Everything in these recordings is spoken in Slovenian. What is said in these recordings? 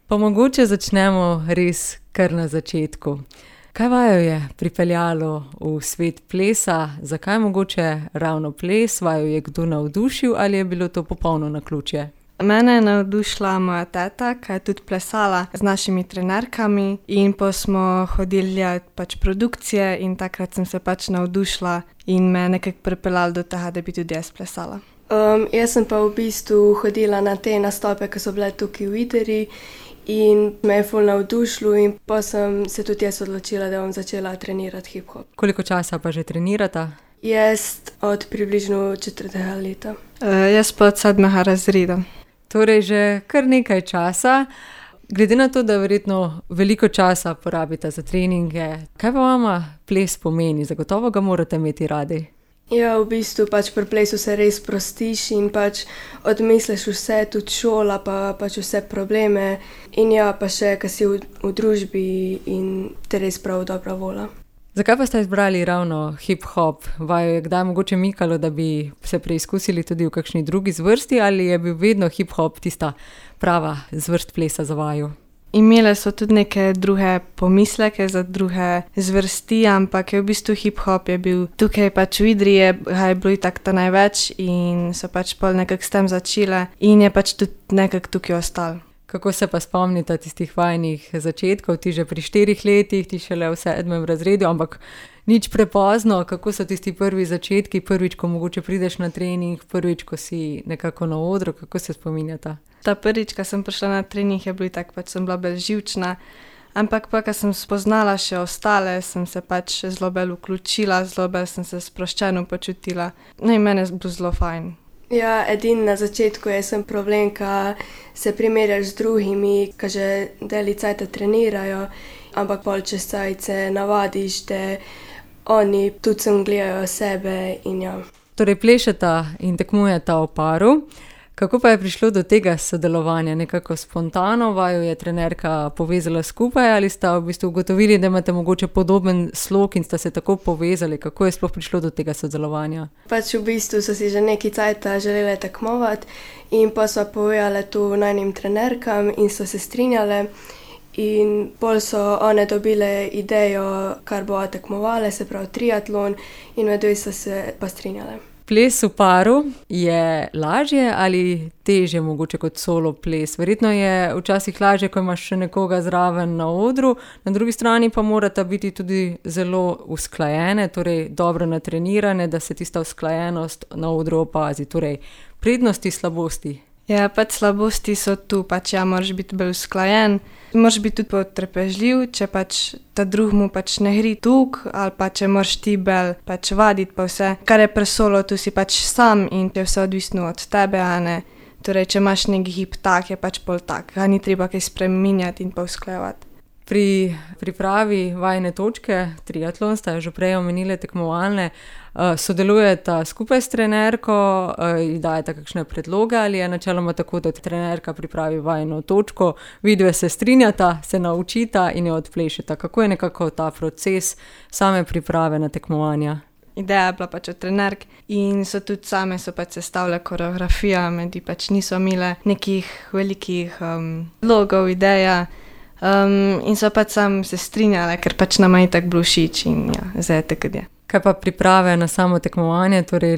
Pa mogoče začnemo res kar na začetku. Kaj vaju je pripeljalo v svet plesa? Zakaj mogoče ravno ples? Vaju je kdo navdušil ali je bilo to popolno naključje? Mene je navdušila moja teta, ki je tudi plesala z našimi trenerkami in pa smo hodili gledati produkcije in takrat sem se navdušila in me nekako pripeljalo do tega, da bi tudi jaz plesala. Jaz sem pa v bistvu hodila na te nastope, ki so bile tukaj v Idriji in me je ful navdušilo in pa sem se tudi jaz odločila, da bom začela trenirati hip-hop. Koliko časa pa že trenirata? Jaz od približno 4. leta. Jaz pa od 7. razreda. Torej že kar nekaj časa. Glede na to, da verjetno veliko časa porabite za treninge, kaj pa vama ples pomeni? Zagotovo ga morate imeti radi. Ja, v bistvu pri plesu se res sprostiš in odmisliš vse, tudi šola, pa vse probleme in ja, pa še, ko si v družbi in te res prav dobra volja. Zakaj pa ste izbrali ravno hip-hop? Vaju je kdaj mogoče mikalo, da bi se preizkusili tudi v kakšni drugi zvrsti ali je bil vedno hip-hop tista prava zvrst plesa za vaju? Imele so tudi neke druge pomisleke za druge zvrsti, ampak je v bistvu hip-hop je bil tukaj v Idriji, je bilo itak ta največ in so pol nekako s tem začele in je tudi nekako tukaj ostalo. Kako se pa spomnite tistih vajinih začetkov, ti že pri 4 letih, ti šele v 7. razredu, ampak nič prepozno, kako so tisti prvi začetki, prvič, ko mogoče prideš na trening, prvič, ko si nekako na odru, kako se spominjata? Ta prvič, ko sem prišla na trening, je bilo tako, sem bila bolj živčna, ampak ko sem spoznala še ostale, sem se zelo bolj vključila, zelo bolj sem se sproščeno počutila. No in meni je bilo zelo fajn. Ja, edin na začetku je sem problem, ko se primerjaš z drugimi, ki že deli cajta trenirajo, ampak pol čez cajt se navadiš, da oni tudi sem gledajo sebe in ja. Torej plešeta in tekmujeta v paru. Kako pa je prišlo do tega sodelovanja? Nekako spontano vaju je trenerka povezala skupaj ali sta v bistvu ugotovili, da imate mogoče podoben slog in sta se tako povezali? Kako je sploh prišlo do tega sodelovanja? V bistvu so si že nekaj cajta želele tekmovati in pa so povedale tu najnim trenerkam in so se strinjale in pol so one dobile idejo, kar bo tekmovale, se pravi triatlon in med so se pa strinjale. Ples v paru je lažje ali težje mogoče kot solo ples? Verjetno je včasih lažje, ko imaš še nekoga zraven na odru, na drugi strani pa morata biti tudi zelo usklajene, torej dobro natrenirane, da se tista usklajenost na odru opazi. Torej, prednosti, slabosti. Ja, slabosti so tu, moraš biti bolj usklajen, moraš biti tudi potrpežljiv, če ta drug mu ne gre tuk, ali če moraš ti bolj vaditi pa vse. Kar je pri solo, tu si sam in je vse odvisno od tebe, a ne. Torej, če imaš neki hip tak, je pol tak, ga ni treba kaj spreminjati in pa usklajevati. Pri pripravi vajine točke, triatlon, sta že prej omenili tekmovalne, sodelujeta skupaj s trenerko, ji dajeta kakšne predloge ali je načeloma tako, da trenerka pripravi vajino točko, vidve se strinjata, se naučita in jo odplešeta. Kako je nekako ta proces same priprave na tekmovanja? Ideja je bila od trenerk in so tudi same sestavile koreografijo, medij niso imele nekih velikih logov, ideja. In so sam se strinjale, ker nama je tako bilo všeč in ja, zdaj je tako, je. Kaj pa priprave na samo tekmovanje? Torej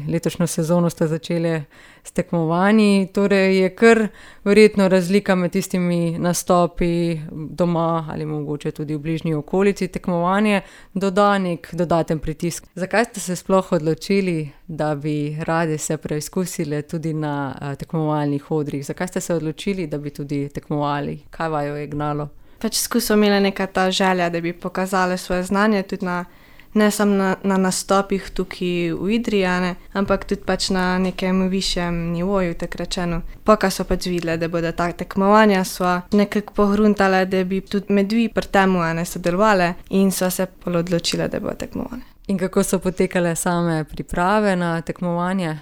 letošnjo sezono sta začeli s tekmovanji, torej je kar verjetno razlika med tistimi nastopi doma ali mogoče tudi v bližnji okolici. Tekmovanje doda nek dodaten pritisk. Zakaj ste se sploh odločili, da bi radi se preizkusili tudi na tekmovalnih odrih? Zakaj ste se odločili, da bi tudi tekmovali? Kaj vaju je gnalo? Skozi so imele neka ta želja, da bi pokazale svoje znanje tudi ne samo na nastopih tukaj v Idriji, ampak tudi na nekem višjem nivoju, tako rečeno. Ko so videle, da bodo ta tekmovanja, so nekako pogruntale, da bi tudi medvi pri temu sodelovale in so se odločile, da bodo tekmovale. In kako so potekale same priprave na tekmovanje?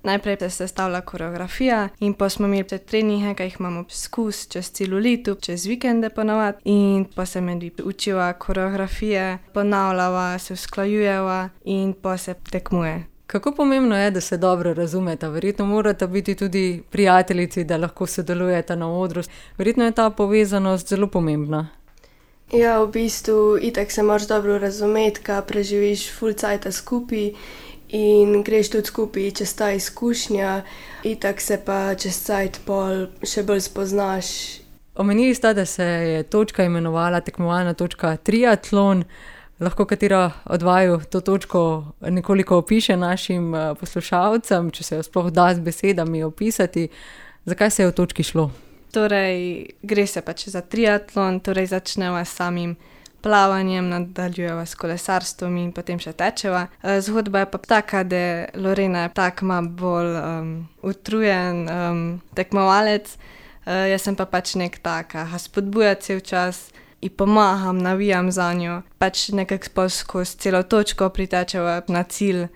Najprej se sestavlja koreografija in pa smo imeli treninge, ki jih imamo skus čez celo leto, čez vikende ponavadi in pa se medvi učiva koreografije, ponavljava, se usklajujeva in pa se tekmuje. Kako pomembno je, da se dobro razumeta? Verjetno morata biti tudi prijateljici, da lahko sodelujeta na odru. Verjetno je ta povezanost zelo pomembna. Ja, v bistvu itak se moraš dobro razumeti, kaj preživiš ful cajta skupaj in greš tudi skupaj čez ta izkušnja, itak se pa čez cajt pol še bolj spoznaš. Omenili sta, da se je točka imenovala tekmovalna točka triatlon. Lahko katera od vaju to točko nekoliko opiše našim poslušalcem, če se jo sploh da z besedami opisati. Zakaj se je v točki šlo? Torej, gre se pač za triatlon, torej začneva s samim plavanjem, nadaljujeva s kolesarstvom in potem še tečeva. Zgodba je pa taka, da Lorena je tak malo bolj utrujen tekmovalec, jaz sem pa pač nek taka, spodbuja cel čas in pomagam, navijam za njo. Pač nekako skozi celo točko pritečeva na cilj.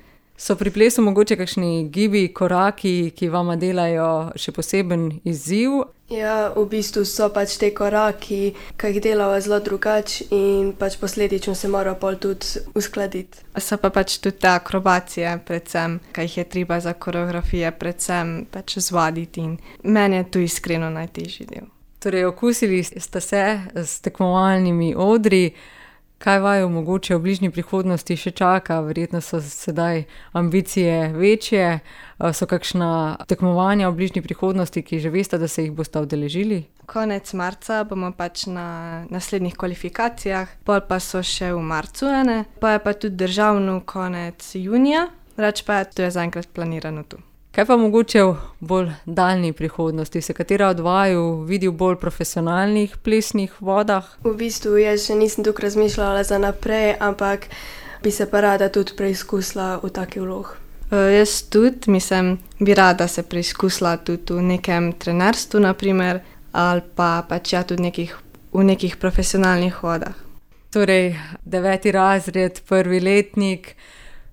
So pri plesu mogoče kakšni gibi, koraki, ki vama delajo še poseben izziv? Ja, v bistvu so pač te koraki, ki jih delava zelo drugače in pač posledično se mora pol tudi uskladiti. So pa pač tudi te akrobacije, predvsem, ki jih je treba za koreografije, predvsem pač zvaditi in meni je tu iskreno najtežji del. Torej, okusili ste se s tekmovalnimi odri. Kaj vaju mogoče v bližnji prihodnosti še čaka? Verjetno so sedaj ambicije večje. So kakšna tekmovanja v bližnji prihodnosti, ki že veste, da se jih boste udeležili? Konec marca bomo pač na naslednjih kvalifikacijah, pol pa so še v marcu ene, pa je pa tudi državno konec junija, reč pa je, to je zaenkrat planirano tu. Kaj pa mogoče v bolj daljni prihodnosti? Se katera od vaju vidi v bolj profesionalnih plesnih vodah? V bistvu jaz še nisem tukaj razmišljala za naprej, ampak bi se pa rada tudi preizkusila v taki vlog. Jaz tudi, bi rada se preizkusila tudi v nekem trenerstvu, naprimer, ali pa pač ja tudi v nekih profesionalnih vodah. Torej, 9. razred, 1. letnik,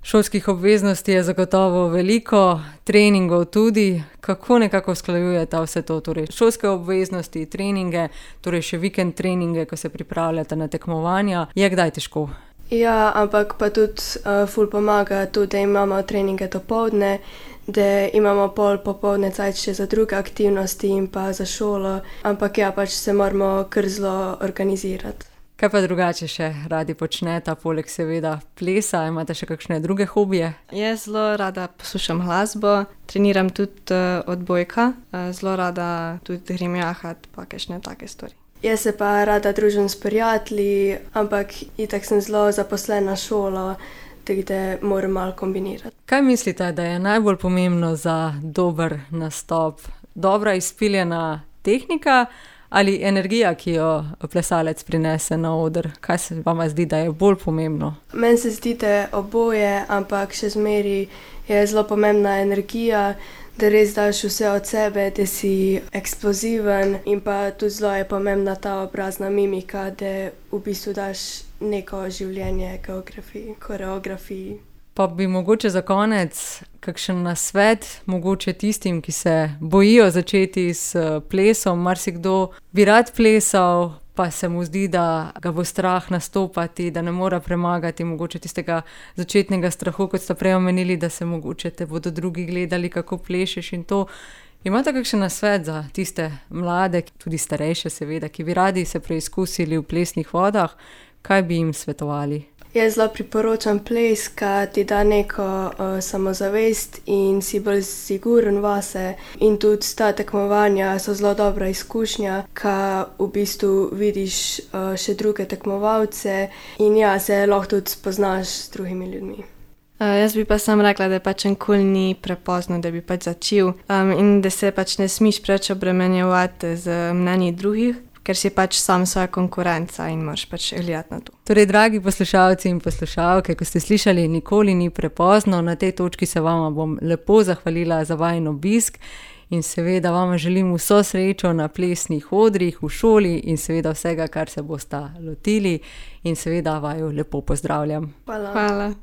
šolskih obveznosti je zagotovo veliko, treningov tudi. Kako nekako usklajujete vse to? Torej, šolske obveznosti, treninge, torej še vikend treninge, ko se pripravljate na tekmovanja. Je kdaj težko? Ja, ampak pa tudi ful pomaga tudi, da imamo treninge dopoldne, da imamo pol popoldne cajt še za druge aktivnosti in pa za šolo, ampak ja, pač se moramo kar zelo organizirati. Kaj pa drugače še radi počnete, poleg seveda plesa? Imate še kakšne druge hobije? Jaz zelo rada poslušam glasbo, treniram tudi odbojka, zelo rada tudi grem jahat pa kakšne take stvari. Jaz se pa rada družim s prijatelji, ampak itak sem zelo zaposlena šolo, tako da moram malo kombinirati. Kaj mislite, da je najbolj pomembno za dober nastop? Dobra izpiljena tehnika ali energija, ki jo plesalec prinese na oder? Kaj se vama zdi, da je bolj pomembno? Meni se zdi, da je oboje, ampak še zmeri je zelo pomembna energija, da res daš vse od sebe, da si eksploziven in pa tudi zelo je pomembna ta obrazna mimika, da v bistvu daš neko življenje koreografiji. Pa bi mogoče za konec kakšen nasvet, mogoče tistim, ki se bojijo začeti s plesom. Marsikdo bi rad plesal, pa se mu zdi, da ga bo strah nastopati, da ne more premagati mogoče tistega začetnega strahu, kot ste prej omenili, da se mogoče te bodo drugi gledali, kako plešeš in to. Imate kakšen nasvet za tiste mlade, tudi starejše seveda, ki bi radi se preizkusili v plesnih vodah? Kaj bi jim svetovali? Jaz zelo priporočam ples, ki ti da neko samozavest in si bolj siguren vase. In tudi ta tekmovanja so zelo dobra izkušnja, ki v bistvu vidiš še druge tekmovalce in ja, se lahko tudi spoznaš s drugimi ljudmi. Jaz bi pa sam rekla, da pač nikoli ni prepozno, da bi pač začel in da se pač ne smeš preveč obremenjevati z mnenji drugih, ker si pač sam svoja konkurenca in moraš pač gledati na to. Torej, dragi poslušalci in poslušalke, ko ste slišali, nikoli ni prepozno, na tej točki se vama bom lepo zahvalila za vajin obisk in seveda vama želim vso srečo na plesnih odrih, v šoli in seveda vsega, kar se bosta lotili in seveda vaju lepo pozdravljam. Hvala. Hvala.